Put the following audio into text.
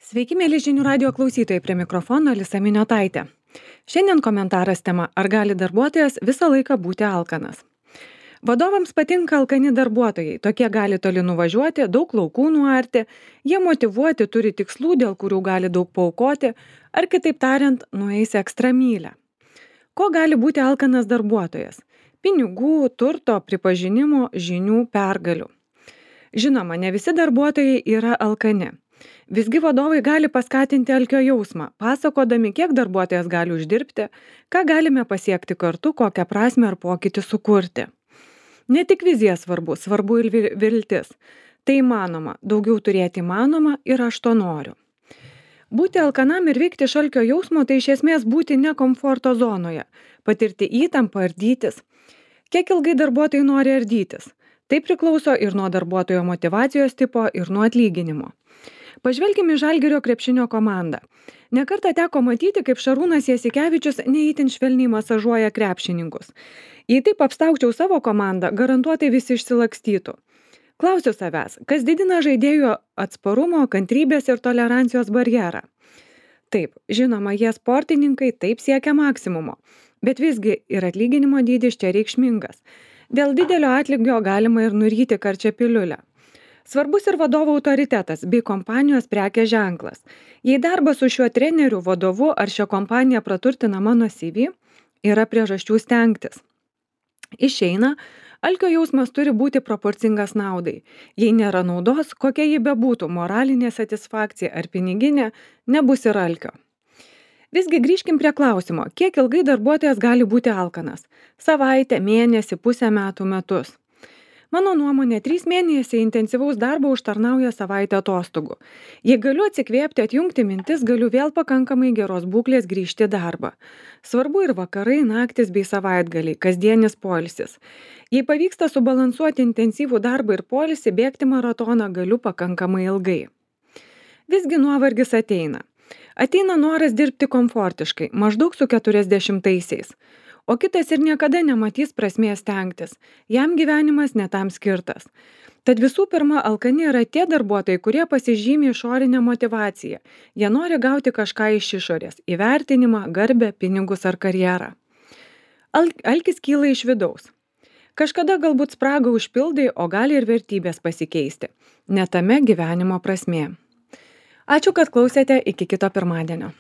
Sveiki, mėly žinių radio klausytojai, prie mikrofono Alisa Miniotaitė. Šiandien komentaras tema: ar gali darbuotojas visą laiką būti alkanas? Vadovams patinka alkani darbuotojai, tokie gali toli nuvažiuoti, daug laukų nuarti, jie motyvuoti, turi tikslų, dėl kurių gali daug paaukoti, ar kitaip tariant, nueis ekstra mylią. Ko gali būti alkanas darbuotojas? Pinigų, turto, pripažinimo, žinių, pergalių. Žinoma, ne visi darbuotojai yra alkani. Visgi vadovai gali paskatinti alkio jausmą, pasakodami, kiek darbuotojas gali uždirbti, ką galime pasiekti kartu, kokią prasmę ar pokytį sukurti. Ne tik vizija svarbu ir viltis. Tai įmanoma, daugiau turėti įmanoma ir aš to noriu. Būti alkanam ir veikti iš alkio jausmo tai iš esmės būti ne komforto zonoje, patirti įtampą, ardytis. Kiek ilgai darbuotojai nori ardytis? Tai priklauso ir nuo darbuotojo motyvacijos tipo, ir nuo atlyginimo. Pažvelkime į Žalgirio krepšinio komandą. Nekartą teko matyti, kaip Šarūnas Jasikevičius neįtin švelniai masažuoja krepšininkus. Jei taip apstaukčiau savo komandą, garantuotai visi išsilakstytų. Klausiu savęs, kas didina žaidėjų atsparumo, kantrybės ir tolerancijos barjerą? Taip, žinoma, jie sportininkai, taip siekia maksimumo, bet visgi ir atlyginimo dydis čia reikšmingas. Dėl didelio atlygio galima ir nuryti karčią piliulę. Svarbus ir vadovo autoritetas bei kompanijos prekės ženklas. Jei darbas su šiuo treneriu, vadovu ar šią kompaniją praturtina mano CV, yra priežasčių stengtis. Išeina, alkio jausmas turi būti proporcingas naudai. Jei nėra naudos, kokia ji bebūtų, moralinė satisfakcija ar piniginė, nebus ir alkio. Visgi grįžkim prie klausimo, kiek ilgai darbuotojas gali būti alkanas? Savaitę, mėnesį, pusę metų, metus. Mano nuomonė, 3 mėnesiai intensyvaus darbo užtarnauja savaitę atostogų. Jei galiu atsikvėpti, atjungti mintis, galiu vėl pakankamai geros būklės grįžti į darbą. Svarbu ir vakarai, naktis bei savaitgaliai, kasdienis poilsis. Jei pavyksta subalansuoti intensyvų darbą ir poilsį, bėgti maratoną galiu pakankamai ilgai. Visgi nuovargis ateina. Ateina noras dirbti komfortiškai, maždaug su 40-aisiais. O kitas ir niekada nematys prasmės stengtis. Jam gyvenimas ne tam skirtas. Tad visų pirma, alkani yra tie darbuotojai, kurie pasižymi išorinę motivaciją. Jie nori gauti kažką iš išorės – įvertinimą, garbę, pinigus ar karjerą. Alkis kyla iš vidaus. Kažkada galbūt spragą užpildai, o gali ir vertybės pasikeisti. Ne tame gyvenimo prasmė. Ačiū, kad klausėte, iki kito pirmadienio.